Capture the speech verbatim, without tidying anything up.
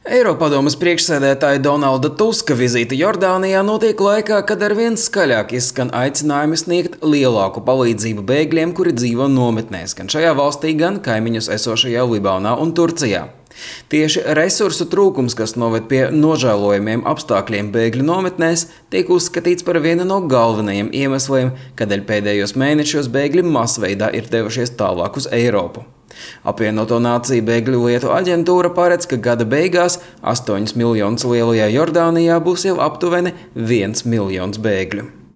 Eiropadomes priekšsēdētāja Donalda Tuska vizīte Jordānijā notiek laikā, kad arvien skaļāk izskan aicinājumi sniegt lielāku palīdzību bēgļiem, kuri dzīvo nometnēs, gan šajā valstī, gan kaimiņus esošajā Libānā un Turcijā. Tieši resursu trūkums, kas noved pie nožēlojamiem apstākļiem bēgļu nometnēs, tiek uzskatīts par vienu no galvenajiem iemesliem, kādēļ pēdējos mēnešos bēgļi masveidā ir devušies tālāk uz Eiropu. Apvienoto Nāciju bēgļu lietu aģentūra paredz, ka gada beigās astoņus miljonus lielajā Jordānijā būs jau aptuveni viens miljons bēgļu.